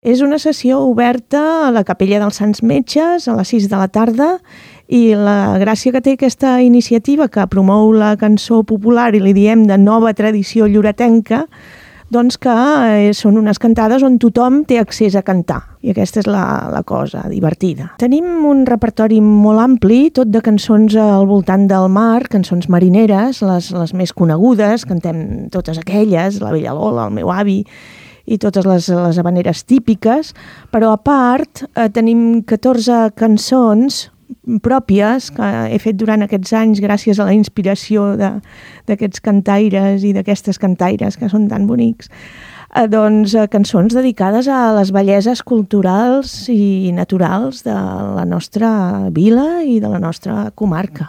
És una sessió oberta a la Capella dels Sants Metges a les 6 de la tarda i la gràcia que té aquesta iniciativa que promou la cançó popular i li diem de nova tradició lloretenca, doncs que són unes cantades on tothom té accés a cantar. I aquesta és la cosa divertida. Tenim un repertori molt ampli, tot de cançons al voltant del mar, cançons marineres, les més conegudes, cantem totes aquelles, la Bella Lola, el meu avi, i totes les havaneres típiques, però a part tenim 14 cançons pròpies que he fet durant aquests anys gràcies a la inspiració d'aquests cantaires i d'aquestes cantaires que són tan bonics. Doncs cançons dedicades a les belleses culturals i naturals de la nostra vila i de la nostra comarca.